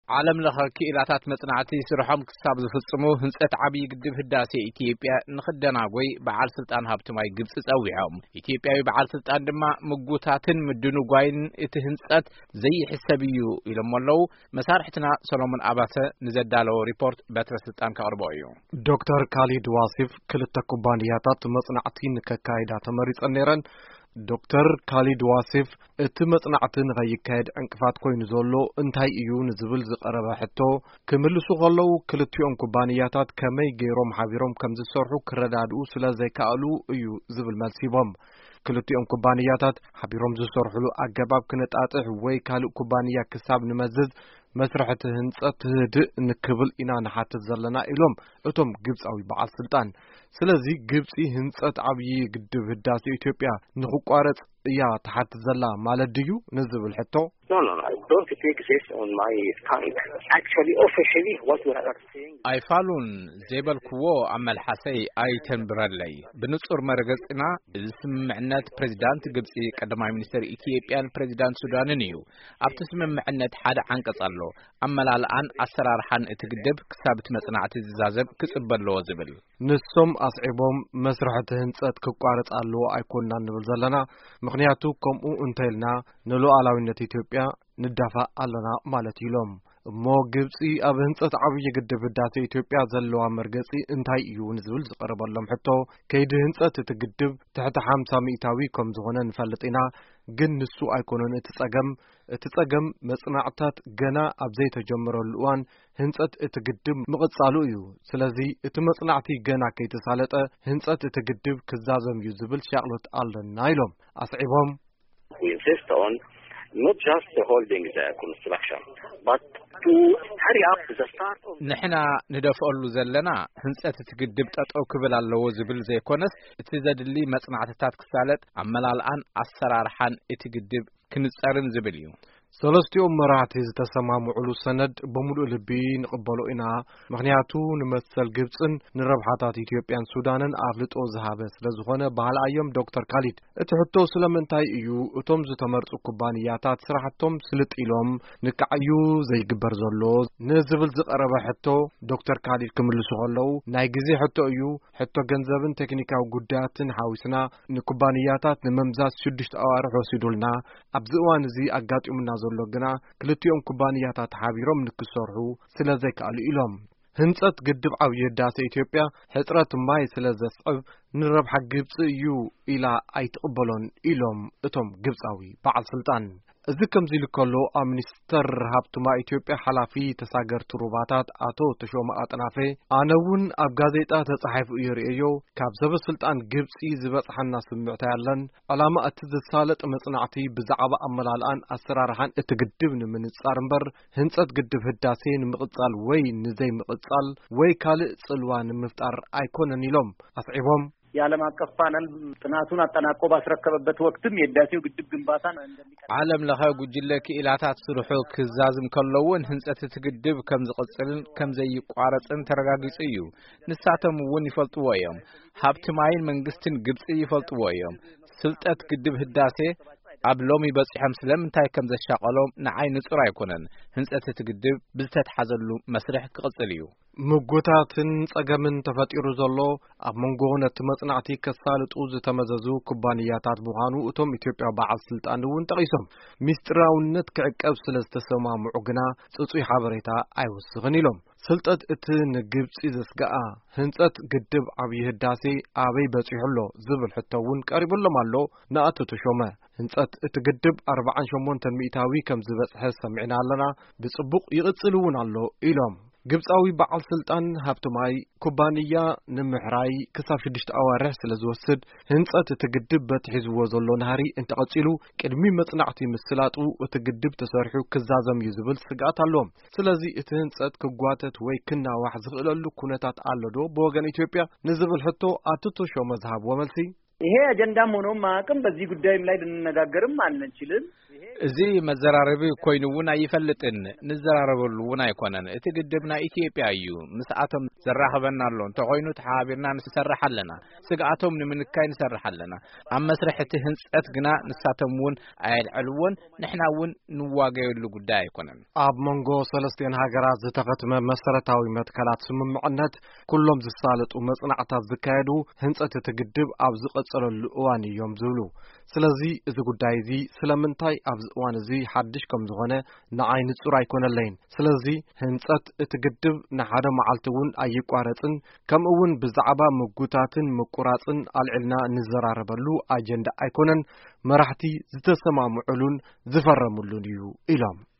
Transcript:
ዓለም ለኸ ክኢላታት መጽናዕቲ ስርሖም ክሳብ ዝፍጽሙ፣ ህንጸት ዓብዪ ግድብ ህዳሴ ኢትዮጵያ ንኽደናጎይ በዓል ስልጣን ሃብቲ ማይ ግብጺ ጸዊዖም። ኢትዮጵያዊ በዓል ስልጣን ድማ ምጉታትን ምድንጓይን እቲ ህንጸት ዘይሕሰብ እዩ ኢሎም ኣለዉ። መሳርሕትና ሰሎሞን ኣባተ ንዘዳለዎ ሪፖርት በትረ ስልጣን ከቕርቦ እዩ። ዶክተር ካሊድ ዋሲፍ፣ ክልተ ኩባንያታት መጽናዕቲ ንከካይዳ ተመሪጸን ነይረን። ዶክተር ካሊድ ዋሲፍ፣ እቲ መጽናዕቲ ንኸይካየድ ዕንቅፋት ኮይኑ ዘሎ እንታይ እዩ ንዝብል ዝቐረበ ሕቶ ክምልሱ ከለዉ፣ ክልቲኦም ኩባንያታት ከመይ ገይሮም ሓቢሮም ከም ዝሰርሑ ክረዳድኡ ስለ ዘይከኣሉ እዩ ዝብል መልሲ ሂቦም። ክልቲኦም ኩባንያታት ሓቢሮም ዝሰርሕሉ ኣገባብ ክነጣጥሕ ወይ ካልእ ኩባንያ ክሳብ ንመዝዝ መስርሕ እቲ ህንጸት ህድእ ንክብል ኢና ንሓትት ዘለና ኢሎም እቶም ግብጻዊ በዓል ስልጣን። ስለዚ ግብጺ ህንጸት ዓብዪ ግድብ ህዳሴ ኢትዮጵያ ንክቋረጽ እያ ትሓትት ዘላ ማለት ድዩ ንዝብል ሕቶ? No, no, no. I don't take this on my tongue. Actually, officially, what we are saying. ኣይፋሉን ዘይበልክዎ ኣብ መልሓሰይ ኣይተንብረለይ። ብንጹር መረገጺና እዚ ስምምዕነት ፕሬዚዳንት ግብጺ ቀዳማይ ሚኒስትር ኢትዮጵያን ፕሬዚዳንት ሱዳንን እዩ። ኣብቲ ስምምዕነት ሓደ ዓንቀጽ ኣሎ። ኣመላልኣን ኣሰራርሓን እቲ ግድብ ክሳብ እቲ መጽናዕቲ ዝዛዘም ክጽበ ኣለዎ ዝብል። ንሶም ኣስዒቦም መስርሕ እቲ ህንጸት ክቋረጽ ኣለዎ ኣይኮንና ንብል ዘለና። ምኽንያቱ ከምኡ እንተኢልና ንሉዓላዊነት ኢትዮጵያ ንዳፋእ ኣለና ማለት ኢሎም። እሞ ግብጺ ኣብ ህንጸት ዓብዪ ግድብ ህዳሴ ኢትዮጵያ ዘለዋ መርገጺ እንታይ እዩ ንዝብል ዝቐረበሎም ሕቶ፣ ከይዲ ህንጸት እቲ ግድብ ትሕቲ ሓምሳ ሚእታዊ ከም ዝኾነ ንፈልጥ ኢና፣ ግን ንሱ ኣይኮነን እቲ ጸገም። እቲ ጸገም መጽናዕትታት ገና ኣብ ዘይተጀመረሉ እዋን ህንጸት እቲ ግድብ ምቕጻሉ እዩ። ስለዚ እቲ መጽናዕቲ ገና ከይተሳለጠ ህንጸት እቲ ግድብ ክዛዘም እዩ ዝብል ሻቕሎት ኣለና ኢሎም ኣስዒቦም። We insist on not just holding the construction, but to hurry up the start of ንሕና ንደፍኣሉ ዘለና ህንጸት እቲ ግድብ ጠጠው ክብል ኣለዎ ዝብል ዘይኮነስ፣ እቲ ዘድሊ መጽናዕትታት ክሳለጥ ኣመላልኣን ኣሰራርሓን እቲ ግድብ ክንጸርን ዝብል እዩ። ሰለስቲኦም መራሕቲ ዝተሰማምዑሉ ሰነድ ብምሉእ ልቢ ንቕበሎ ኢና፣ ምኽንያቱ ንመሰል ግብጽን ንረብሓታት ኢትዮጵያን ሱዳንን ኣፍልጦ ዝሃበ ስለ ዝኾነ በሃልኣዮም ዶክተር ካሊድ። እቲ ሕቶ ስለምንታይ እዩ እቶም ዝተመርጹ ኩባንያታት ስራሕቶም ስልጥ ኢሎም ንክዓዩ ዘይግበር ዘሎ ንዝብል ዝቐረበ ሕቶ ዶክተር ካሊድ ክምልሱ ከለዉ፣ ናይ ግዜ ሕቶ እዩ፣ ሕቶ ገንዘብን ቴክኒካዊ ጉዳያትን ሓዊስና ንኩባንያታት ንምምዛዝ ሽዱሽተ ኣዋርሕ ወሲዱልና። ኣብዚ እዋን እዚ ኣጋጢሙና ዘሎ ግና ክልቲኦም ኩባንያታት ሓቢሮም ንክሰርሑ ስለ ዘይከኣሉ ኢሎም። ህንጸት ግድብ ዓብዪ ህዳሴ ኢትዮጵያ ሕጽረት ማይ ስለ ዘስዕብ ንረብሓ ግብጺ እዩ ኢላ ኣይትቕበሎን ኢሎም እቶም ግብጻዊ በዓል ስልጣን። እዚ ከምዚ ኢሉ ከሎ ኣብ ሚኒስተር ሃብቲ ማይ ኢትዮጵያ ሓላፊ ተሳገርቲ ሩባታት ኣቶ ተሾመ ኣጥናፌ፣ ኣነ እውን ኣብ ጋዜጣ ተጻሒፉ እየ ርእየዮ፣ ካብ ሰበ ስልጣን ግብጺ ዝበጽሓና ስምዕታ ያለን። ዕላማ እቲ ዝሳለጥ መጽናዕቲ ብዛዕባ ኣመላልኣን ኣሰራርሓን እቲ ግድብ ንምንጻር እምበር ህንጸት ግድብ ህዳሴ ንምቕጻል ወይ ንዘይምቕጻል ወይ ካልእ ጽልዋ ንምፍጣር ኣይኮነን ኢሎም ኣስዒቦም። የዓለም አቀፍ ፓነል ጥናቱን አጠናቆ ባስረከበበት ወቅትም የህዳሴው ግድብ ግንባታን እንደሚቀጥል ዓለም ለኸ ጉጅለ ክኢላታት ስርሑ ክዛዝም ከለውን ህንጸት እቲ ግድብ ከም ዝቕጽልን ከም ዘይቋረጽን ተረጋጊጹ እዩ። ንሳቶም እውን ይፈልጥዎ እዮም። ሃብቲ ማይን መንግስትን ግብጺ ይፈልጥዎ እዮም። ስልጠት ግድብ ህዳሴ ኣብ ሎሚ በጺሖም ስለምንታይ ከም ዘሻቐሎም ንዓይ ንጹር ኣይኮነን። ህንጸት እቲ ግድብ ብዝተትሓዘሉ መስርሕ ክቕጽል እዩ። ምጉታትን ጸገምን ተፈጢሩ ዘሎ ኣብ መንጎ ነቲ መጽናዕቲ ከሳልጡ ዝተመዘዙ ኩባንያታት ምዃኑ እቶም ኢትዮጵያ በዓል ስልጣን እውን ጠቒሶም። ሚስጥራውነት ክዕቀብ ስለ ዝተሰማምዑ ግና ጽጹይ ሓበሬታ ኣይወስኽን ኢሎም። ስልጠት እቲ ንግብጺ ዘስግኣ ህንጸት ግድብ ዓብዪ ህዳሴ ኣበይ በጺሑ ኣሎ ዝብል ሕቶ እውን ቀሪቡሎም ኣሎ ንኣቶ ተሾመ። ህንጸት እቲ ግድብ ኣርብዓን ሸሞንተን ሚእታዊ ከም ዝበጽሐ ሰሚዕና ኣለና፣ ብጽቡቕ ይቕጽል እውን ኣሎ ኢሎም። ግብጻዊ በዓል ስልጣን ሃብቲ ማይ ኩባንያ ንምሕራይ ክሳብ ሽዱሽተ ኣዋርሕ ስለ ዝወስድ፣ ህንጸት እቲ ግድብ በቲ ሒዝዎ ዘሎ ናህሪ እንተቐጺሉ፣ ቅድሚ መጽናዕቲ ምስላጡ እቲ ግድብ ተሰሪሑ ክዛዘም እዩ ዝብል ስግኣት ኣለዎም። ስለዚ እቲ ህንጸት ክጓተት ወይ ክናዋሕ ዝኽእለሉ ኩነታት ኣሎ ዶ ብወገን ኢትዮጵያ ንዝብል ሕቶ ኣቶ ተሾመ ዝሃብዎ መልሲ፣ ይሄ አጀንዳም ሆኖም ማዕቅም በዚህ ጉዳይም ላይ ልንነጋገርም አንችልም። እዚ መዘራረቢ ኮይኑ እውን ኣይፈልጥን፣ ንዘራረበሉ እውን ኣይኮነን። እቲ ግድብ ናይ ኢትዮጵያ እዩ፣ ምስኣቶም ዘራኽበና ኣሎ። እንተኾይኑ ተሓባቢርና ንሰርሕ ኣለና። ስግኣቶም ንምንካይ ንሰርሕ ኣለና። ኣብ መስርሕ እቲ ህንጸት ግና ንሳቶም እውን ኣየልዕልዎን፣ ንሕና እውን ንዋገየሉ ጉዳይ ኣይኮነን። ኣብ መንጎ ሰለስቲኤን ሃገራት ዝተኸትመ መሰረታዊ መትከላት ስምምዕነት፣ ኩሎም ዝሳለጡ መጽናዕታት ዝካየዱ፣ ህንጸት እቲ ግድብ ኣብ ዝቐጸለሉ እዋን እዮም ዝብሉ። ስለዚ እዚ ጉዳይ እዚ ስለምንታይ ኣብዚ እዋን እዚ ሓድሽ ከም ዝኾነ ንዓይ ንጹር ኣይኮነለይን። ስለዚ ህንጸት እቲ ግድብ ንሓደ መዓልቲ እውን ኣይቋረጽን፣ ከምኡ እውን ብዛዕባ ምጉታትን ምቁራጽን ኣልዒልና ንዘራረበሉ ኣጀንዳ ኣይኮነን፣ መራሕቲ ዝተሰማምዑሉን ዝፈረሙሉን እዩ ኢሎም።